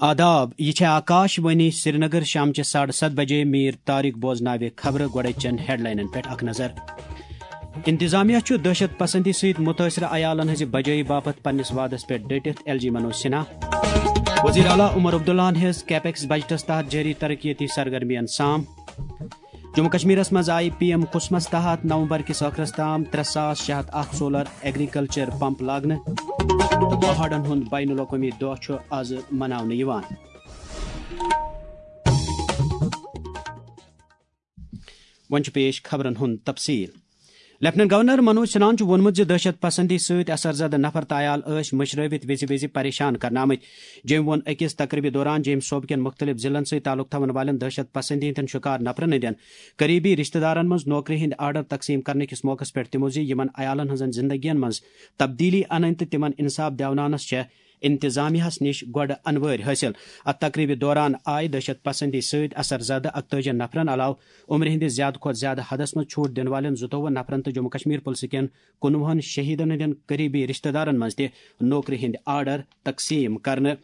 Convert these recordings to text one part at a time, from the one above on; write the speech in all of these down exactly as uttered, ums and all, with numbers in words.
آداب، یہِ چھےٚ آکاش وانی سرینگر۔ شامچہِ ساڑٕ ستھ بجے میر طارق بوزناوِ خبرٕ۔ گۄڈٕ چٮ۪ن ہیڈلاینن پٮ۪ٹھ اکھ نظر۔ انتظامیہ چھُ دہشت پسندی سۭتۍ متٲثرٕ عیالن ہٕنٛزِ بجٲیی باپتھ پننِس وعدس پٮ۪ٹھ ڈٔٹِتھ، ایل جی منوج سنہا۔ وزیر اعلیٰ عمر عبداللہن ہیٚژ کیپیکس بجٹس تحت جٲری ترقیتی سرگرمین سام۔ جموں کشمیرس منٛز آیہِ پی ایم کسمس تحت نومبر کِس ٲخرس تام ترٛےٚ ساس شےٚ ہتھ اکھ سولر ایگریکلچر پمپ لاگنہٕ تہٕ پہاڑن ہُنٛد بین الاقوٲمی دۄہ چھُ آز مناونہٕ یِوان۔ وۄنۍ چھُ پیش خبرن ہُنٛد تفصیل۔ لیفٹیننٹ گورنر منوج سنہاہن چھُ ووٚنمُت زِ دہشت پسندی سۭتۍ اثر زدٕ نفر تہٕ عیال ٲسۍ مٔشرٲوِتھ وِزِ وِزِ پریشان کرنہٕ آمٕتۍ۔ جیٚمۍ ووٚن أکِس تقریبہِ دوران جیٚمۍ صوبہٕ کٮ۪ن مُختٔلِف ضلعن سۭتۍ تعلق تھاون والٮ۪ن دہشت پسندی ہٕنٛدٮ۪ن شکار نفرن ہٕنٛدٮ۪ن قریبی رشتہٕ دارن منٛز نوکری ہٕنٛدۍ آرڈر تقسیٖم کرنہٕ کِس موقعس پٮ۪ٹھ تِمو زِ یِمن عیالن ہٕنٛزن زندگین منٛز تبدیلی انٕنۍ تہٕ تِمن انصاف دیوناونس چھےٚ انتظامیہس نِش گۄڈٕ انوٲرۍ حٲصِل۔ اتھ تقریبہِ دوران آیہِ دہشت پسندی سۭتۍ اثر زدٕ اکتٲجی نفرن علاوٕ عمرِ ہٕنٛدِس زیادٕ کھۄتہٕ زیادٕ حدس منٛز چھوٹ دِنہٕ والٮ۪ن زٕتووُہ نفرن تہٕ جموں کشمیر پُلسہٕ کٮ۪ن کُنوُہن شہیدن ہٕنٛدٮ۪ن قریبی رشتہٕ دارن منٛز تہِ نوکری ہٕنٛدۍ آرڈر تقسیٖم کرنہٕ۔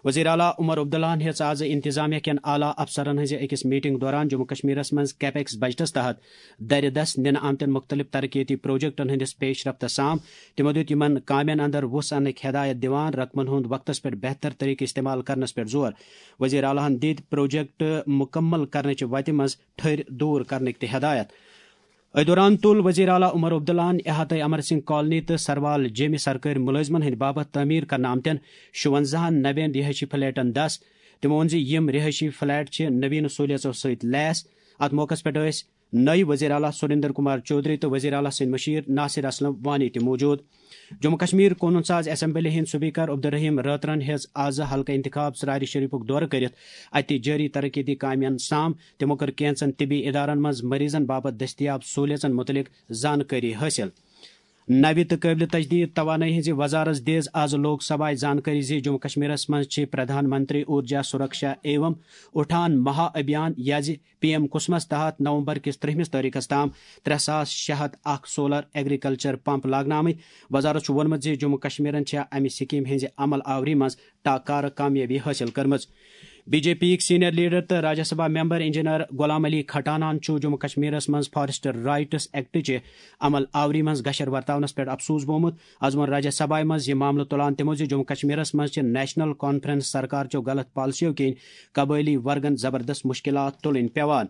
وزیر اعلیٰ عمر عبداللہن ہیٚژ آز انتظامیہ کٮ۪ن اعلیٰ افسرن ہٕنٛزِ أکِس میٹنگ دوران جموں کشمیرس منٛز کیپیکس بجٹس تحت درِ دست نِنہٕ آمتٮ۪ن مُختٔلِف ترقیتی پروجیکٹن ہٕنٛدِس پیش رفتس سام۔ تِمو دیُت یِمن کامٮ۪ن اندر وُژھ اننٕکۍ ہدایت دِوان رقمن ہُنٛد وقتس پٮ۪ٹھ بہتر طریقہٕ استعمال کرنس پٮ۪ٹھ زور۔ وزیر اعلیٰ ہن دِتۍ پروجیکٹ مُکمل کرنٕچہِ وتہِ منٛز ٹھٔرۍ دوٗر کرنٕکۍ تہِ ہدایت۔ أتھۍ دوران تُل وزیر اعلیٰ عمر عبداللہن احاطہ امر سنگھ کالونی تہٕ سروال جیمہِ سرکٲرۍ مُلٲزمن ہٕنٛدِ باپتھ تعمیٖر کرنہٕ آمتٮ۪ن شُونزاہن نوٮ۪ن رہٲیشی فلیٹن دس۔ تِمو ووٚن زِ یِم رہٲیشی فلیٹ چھِ نویٖن سہوٗلیژو سۭتۍ لیس۔ اتھ موقعس پٮ۪ٹھ ٲسۍ نٲیِب وزیر اعلیٰ سریندر کمار چودھری تہٕ وزیر اعلیٰ سٕنٛدۍ مُشیر ناصر اسلم وانی تہِ موجود۔ جموں کشمیر قونوٗن ساز اسمبلی ہٕنٛدۍ سپیکر عبدالرحیم رٲترن ہیٚژ آز حلقہٕ انتخاب ژرارِ شریفُک دورٕ کٔرِتھ اتہِ جٲری ترقیتی کامٮ۪ن سام۔ تِمو کٔر کینژن طبی ادارن منٛز مریضن باپتھ دٔستیاب سہولیژن مُتعلق زانکٲری حٲصِل۔ نوِ تہٕ قٲبلِ تجدید توانٲیی ہٕنٛزِ وزارت دِژ آز لوک سبھایہ زانکٲری زِ جموں کشمیرس منٛز چھِ پردھان منتری اورجا سرکشا ایوم اٹھان مہا ابھیان یا زِ پی ایم کسمس تحت نومبر کِس ترٛہمِس تٲریخس تام ترٛےٚ ساس شےٚ ہتھ اکھ سولر ایگریکلچر پمپ لاگنہٕ آمٕتۍ۔ وزارت چھُ ووٚنمُت زِ جموں کشمیرن چھےٚ امہِ سکیمہِ ہٕنٛزِ عمل آوری منٛز ٹاکارٕ کامیٲبی حٲصِل کٔرمٕژ۔ بی جے پی یِکۍ سینئر لیڈر تہٕ راجیہ سبھا ممبر انجینئر غلام علی کھٹانہن چھُ جموں کشمیرس منٛز فارسٹ رائٹس ایکٹٕچہِ عمل آوری منٛز گشر ورتاونس پٮ۪ٹھ افسوس بومُت۔ از ووٚن راجیہ سبھایہ منٛز یہِ معاملہٕ تُلان تِمو زِ جموں کشمیرس منٛز چھِ نیشنل کانفرنس سرکار چو غلط پالیسیو کِنۍ قبٲئلی ورگن زبردست مشکلات تُلٕنۍ پٮ۪وان۔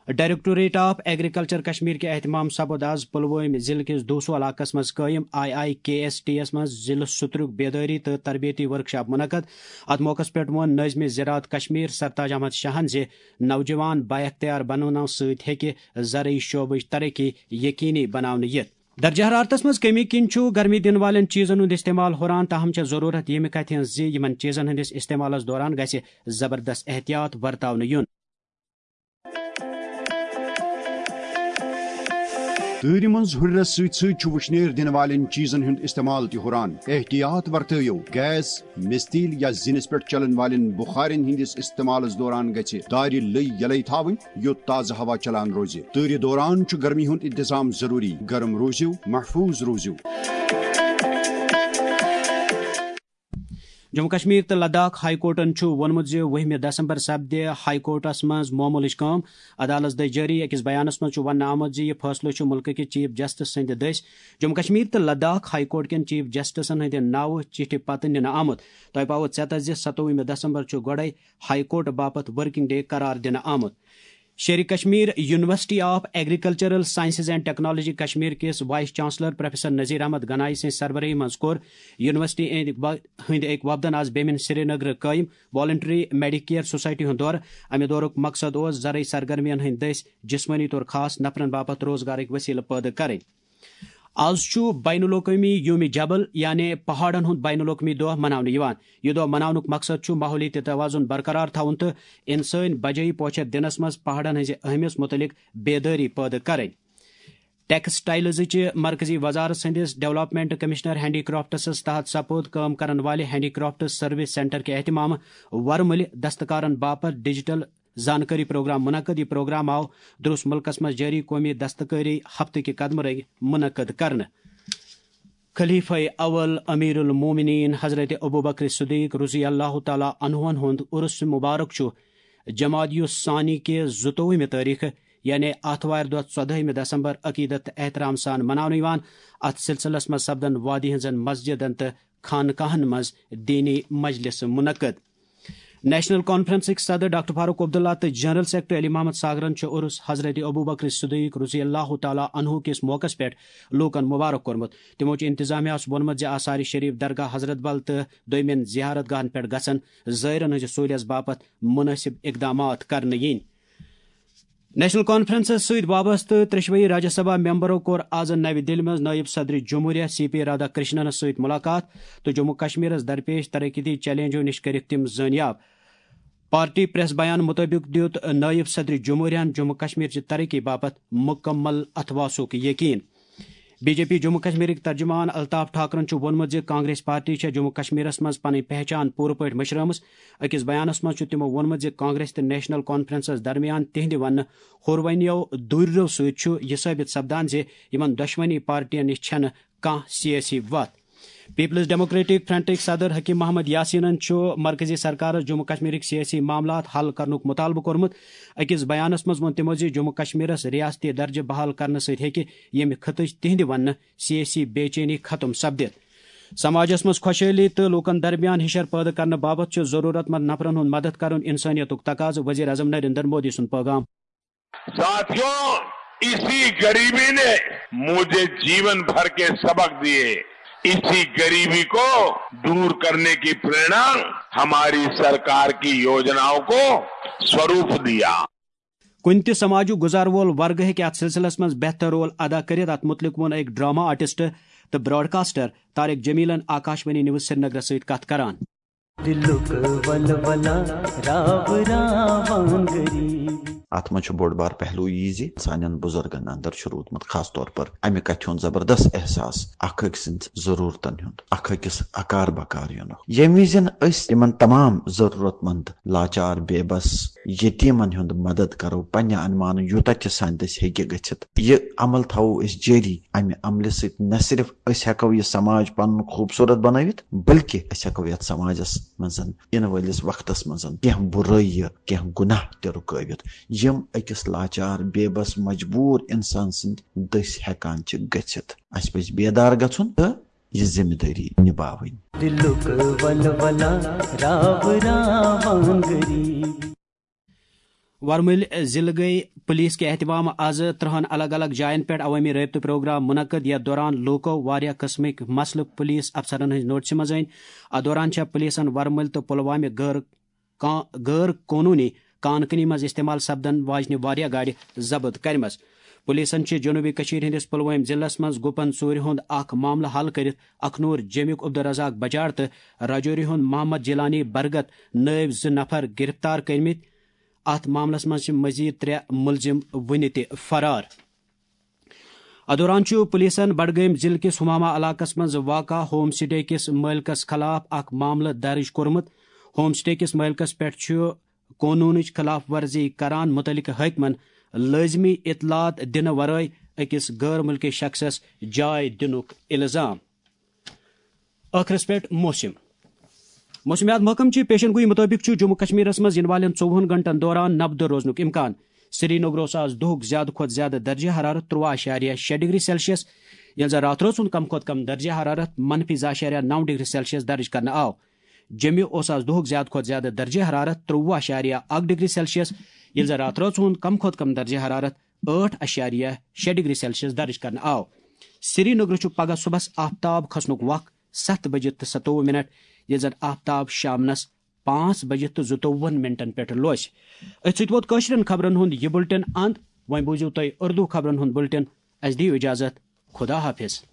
ڈائریکٹوریٹ آف ایگریکلچر کشمیر کہِ اہتمام سپُد آز پلوٲمۍ ضلعہٕ کِس دوسو علاقس منٛز قٲیِم I I K S T یس منٛز ضلعہٕ سترُک بیدٲری تہٕ تربیتی ورکشاپ منعقد۔ اتھ موقعس پٮ۪ٹھ ووٚن نٲظمِ زراعت کشمیر سرتاج احمد شاہن زِ نوجوان بااختیار بناونہٕ سۭتۍ ہیٚکہِ زرعی شعبٕچ ترقی یقینی بناونہٕ یِتھ۔ درجہ حرارتس منٛز کمی کِنۍ چھُ گرمی دِنہٕ والٮ۪ن چیٖزن ہُنٛد استعمال ہُران، تاہم چھےٚ ضروٗرت ییٚمہِ کتھِ ہٕنٛز زِ یِمن چیٖزن ہٕنٛدِس استعمالس دوران گژھِ زبردست احتیاط ورتاونہٕ یُن۔ تۭرِ منٛز ہُرِرس سۭتۍ سۭتۍ چھُ وُشنیر دِنہٕ والٮ۪ن چیٖزن ہُنٛد استعمال تہِ ہُران۔ احتیاط ورتٲیِو، گیس، مِستیٖل یا زِنِس پٮ۪ٹھ چلن والٮ۪ن بُخارٮ۪ن ہٕنٛدِس استعمالس دوران گژھِ دارِ لٔۍ یلے تھاوٕنۍ، یوٚت تازٕ ہوا چلان روزِ۔ تۭرِ دوران چھُ گرمی ہُنٛد انتظام ضروٗری۔ گرم روٗزِو، محفوٗظ روٗزِو۔ جموں کشمیر تہٕ لداخ ہائی کورٹَن چھُ ووٚنمُت زِ وُہمہِ دسمبر سپدِ ہائی کورٹَس منٛز معمولٕچ کٲم۔ عدالتَس دٔسۍ جٲری أکِس بیانَس منٛز چھُ وننہٕ آمُت زِ یہِ فٲصلہٕ چھُ مُلکہٕ کہِ چیف جسٹس سٕنٛدِ دٔسۍ جموں کشمیر تہٕ لداخ ہائی کورٹ کٮ۪ن چیف جسٹسَن ہٕنٛدِ ناوٕ چِٹھِ پتہٕ نِنہٕ آمُت۔ تۄہہِ پاوو ژٮ۪تَس زِ ستووُہمہِ دسمبر چھُ گۄڈَے ہائی کورٹ باپتھ ورکنگ ڈے قرار دِنہٕ آمُت۔ Sher Kashmir university of agricultural sciences and technology Kashmir کِس vice chancellor professor Nazir Ahmad Ganai سٕنٛزِ سربرٲہی منٛز کوٚر یونیورسٹی أنٛدۍ ب-، ہٕنٛدۍ أکۍ وفدن آز بیمن سرینگرٕ قٲیِم والنٹری میڈی کیئر سوسائٹی ہُنٛد دورٕ۔ امہِ دورُک مقصد اوس زرعی سرگرمین ہٕنٛدۍ دٔسۍ جسمٲنی طور خاص نفرن باپتھ روزگارٕکۍ وسیلہٕ پٲدٕ کرٕنۍ۔ آز چھُ بین الاقوٲمی یوم جبل، یعنی پہاڑن ہُنٛد بین الاقوٲمی دۄہ مناونہٕ یِوان۔ یہِ دۄہ مناونُک مقصد چھُ ماحولیٲتی توازن برقرار تھاوُن تہٕ انسٲنی بجٲیی پوچھر دِنس منٛز پہاڑن ہٕنٛزِ اہمیت مُتعلق بیدٲری پٲدٕ کرٕنۍ۔ ٹیکسٹائلزٕچہِ مرکزی وزارت سٕنٛدِس ڈیولپمنٹ کمشنر ہینڈی کرافٹس تحت سپُد کٲم کرن والہِ ہینڈی کرافٹس سروس سینٹر کہِ اہتمام ورمُلہِ دستکارن باپتھ ڈیجیٹل زانکٲری پروگرام منعقد۔ یہِ پروگرام آو درس ملکس منٛز جٲری قومی دستکٲری ہفتہٕ کہِ قدمہٕ رنگۍ منعقد کرنہٕ۔ خلیفہ اول امیر المومنین حضرت ابوبکر صدیق رضی اللہ تعالیٰ عنہن ہُنٛد عرس مبارک چھُ جمادی الثانی کہِ زٕتووُہمہِ تٲریخہٕ، یعنی آتھوارِ دۄہ ژۄدٲہمہِ دسمبر، عقیدت تہٕ احترام سان مناونہٕ یِوان۔ اتھ سلسلس منٛز سپدن وادی ہٕنٛزن مسجدن تہٕ خانقاہن منٛز دینی مجلس منعقد۔ نیشنل کانفرنسٕکۍ صدر ڈاکٹر فاروق عبداللہ تہٕ جنرل سیکرٹری علی محمد ساگرن چھُ عرس حضرت ابوبکر صدیق رضی اللہ تعالیٰ عنہ کِس موقعس پٮ۪ٹھ لوٗکن مبارک کوٚرمُت۔ تِمو چھُ انتظامیہ ہَس ووٚنمُت زِ آثار شریف، درگاہ حضرت بل تہٕ دوٚیمٮ۪ن زیارت گاہن پٮ۪ٹھ گژھن زائرن ہٕنٛزِ سہوٗلیژ باپتھ مناسب اقدامات کرنہٕ یِنۍ۔ نیشنل کانفرنسس سۭتۍ وابستہٕ ترٛیٚشوَے راجیہ سبھا ممبرو کوٚر آز نَوِ دِلہِ منٛز نٲیِب صدر جمہوریہ سی پی رادھا کرشننس سۭتۍ ملاقات تہٕ جموں کشمیرس درپیش ترقیتی چیلنجو نِش کٔرِکھ تِم زٲنیاب۔ پارٹی پریس بیان مطٲبق دیُت نٲیِب صدر جمہوریہن جموں کشمیر چہِ ترقی باپتھ مکمل اتھواسُک یقین۔ بی جے پی جموں کشمیرٕکۍ ترجمان الطاف ٹھاکرن چھُ ووٚنمُت زِ کانگریس پارٹی چھےٚ جموں کشمیرس منٛز پنٕنۍ پہچان پوٗرٕ پٲٹھۍ مٔشرٲومٕژ۔ أکِس بیانس منٛز چھُ تِمو ووٚنمُت زِ کانگریس تہٕ نیشنل کانفرنسس درمیان تِہنٛدِ وننہٕ ہُروَنیو دوٗرِرو سۭتۍ چھُ یہِ ثٲبت سپدان زِ یِمن دۄشوٕنی پارٹین نِش چھَنہٕ کانٛہہ سیٲسی وَتھ۔ پیپلز ڈیموکریٹک فرنٹٕکۍ صدر حکیم محمد یاسینن چھُ مرکزی سرکارس جموں کشمیرٕکۍ سیٲسی معاملات حل کرنُک مطالبہٕ کوٚرمُت۔ أکِس بیانس منٛز ووٚن تِمو زِ جموں کشمیرس ریاستی درجہٕ بحال کرنہٕ سۭتۍ ہیٚکہِ ییٚمہِ خطٕچ تِہنٛدِ وننہٕ سیٲسی بے چینی ختم سپدِتھ۔ سماجس منٛز خۄشحٲلی تہٕ لوٗکن درمیان ہِشر پٲدٕ کرنہٕ باپتھ چھُ ضروٗرت مند نفرن ہُنٛد مدد کرُن انسٲنیتُک تقاضہٕ، وزیر اعظم نریندر مودی سُنٛد پٲغام۔ साथियों, इसी गरीबी ने मुझे जीवन भर के सबक दिए। इसी गरीबी को दूर करने की प्रेरणा हमारी सरकार की योजनाओं को स्वरूप दिया। کُنہِ تہِ سماجُک گُزار وول ورگہٕ ہیٚکہِ اتھ سلسلس منٛز بہتر رول ادا کٔرِتھ۔ اتھ مُتعلق ووٚن أکۍ ڈرامہ آرٹسٹ تہٕ براڈکاسٹر طارق جمیلن آکاشوانی نیوز سرینگرس سۭتۍ کتھ کران۔ دلُک ولولہ راوراوان غریب۔ اتھ منٛز چھُ بوٚڑ بار پہلو یی زِ سانٮ۪ن بُزرگن اندر چھُ روٗدمُت خاص طور پر امہِ کتھِ ہُنٛد زبردست احساس، اکھ أکۍ سٕنٛز ضروٗرتن ہُنٛد، اکھ أکِس اکار بکار یِنُک۔ ییٚمہِ وِزِ أسۍ تِمن تمام ضروٗرت مند، لاچار، بے بس، یتیمن ہُنٛد مدد کرو پننہِ انمانہٕ یوٗتاہ تہِ سانہِ دٔسۍ ہیٚکہِ گٔژھِتھ۔ یہِ عمل تھاوو أسۍ جٲری۔ امہِ عملہِ سۭتۍ نہ صرف أسۍ ہیٚکو یہِ سماج پنُن خوٗبصوٗرت بنٲوِتھ، بلکہِ أسۍ ہیٚکو یتھ سماجس منٛز ینہٕ وٲلِس وقتس منٛز کینٛہہ بُرٲیی، کینٛہہ گناہ تہِ رُکٲوِتھ، یِم أکِس لاچار، بے بس، مجبوٗر انسان سٕنٛدۍ دٔسۍ ہیٚکان چھِ گٔژھِتھ۔ اسہِ پزِ بیدار گژھُن تہٕ یہِ ذمہٕ دٲری نباوٕنۍ۔ دلُک ولولہ راوراوان غریب۔ ورمُلۍ ضلعہٕ گٔے پُلیٖس کہِ اہتمام از ترٛہن الگ الگ جاین پٮ۪ٹھ عوٲمی رٲبطہٕ پروگرام منعقد، یتھ دوران لوٗکو واریاہ قٕسمٕکۍ مسلہٕ پُلیٖس افسرن ہٕنٛزِ نوٹسہِ منٛز أنۍ۔ اتھ دوران چھےٚ پُلیٖسن ورمُلۍ تہٕ پُلوامہِ غٲر کا-، غٲر قونوٗنی کان کنی منٛز استعمال سپدن واجنہِ واریاہ گاڑِ ضبط کرِمژٕ۔ پُلیٖسن چھِ جنوٗبی کٔشیٖرِ ہٕنٛدِس پُلوٲمۍ ضلعس منٛز گُپن ژوٗرِ ہُنٛد اکھ معاملہٕ حل کٔرِتھ اکھنوٗر جیٚمِک عبدالرزاق بجار تہٕ راجوری ہُنٛد محمد جیلانی برگت نٲوۍ زٕ نفر گرفتار کٔرمٕتۍ۔ اتھ معاملس منٛز چھِ مزید ترٛےٚ مُلزِم وُنہِ تہِ فرار۔ اتھ دوران چھُ پُلیٖسن بڈگٲمۍ ضلعہٕ کِس ہمامہ علاقس منٛز واقع ہوم سٹے کِس مٲلکس خلاف اکھ معاملہٕ درٕج کوٚرمُت۔ ہوم سٹے کِس مٲلکس پٮ۪ٹھ چھُ قونوٗنٕچ خلاف ورزی کران مُتعلقہٕ حٲکمن لٲزمی اطلاعات دِنہٕ ورٲے أکِس غٲر مُلکی شخصس جاے دِنُک الزام۔ ٲخرس پٮ۪ٹھ موسم۔ موسمیات محکمہٕ چہِ پیشن گویی مُطٲبِق چھُ جموں کشمیرس منٛز یِنہٕ والٮ۪ن ژوٚوُہن گھنٹن دوران نبدٕ روزنُک امکان۔ سرینگرس آز دُہُک زیادٕ کھۄتہٕ زیادٕ درجہ حرارت ترٛوٚوُہ اعشاریہ شےٚ ڈگری سیلسیس، ییٚلہِ زن راتھ رٲژ ہُنٛد کم کھۄتہٕ کم درجہ حرارت منفی زٕ اعشاریہ نو ڈگری سیلسیس درج کرنہٕ آو۔ جیٚمہِ اوس آز دُہُک زیادٕ کھۄتہٕ زیادٕ درجہ حرارت ترٛوٚوُہ اعشاریہ اکھ ڈگری سیلسیس، ییٚلہِ زن راتھ رٲژ ہُنٛد کم کھۄتہٕ کم درجہ حرارت ٲٹھ اعشاریہ شےٚ ڈگری سیلسیس درج کرنہٕ آو۔ سرینگرٕ چھُ پگہہ صُبحس آفتاب کھسنُک وق ستھ بجہِ تہٕ ستووُہ منٹ، ییٚلہِ زن آفتاب شامنس پانٛژھ بجہِ تہٕ زٕتووُہن منٹن پٮ۪ٹھ لوسہِ۔ أتھۍ سۭتۍ ووت کٲشرٮ۪ن خبرن ہُنٛد یہِ بُلٹن اند۔ وۄنۍ بوٗزِو تُہۍ اردو خبرن ہُنٛد بُلٹن۔ اسہِ دِیِو اجازت۔ خدا حافظ۔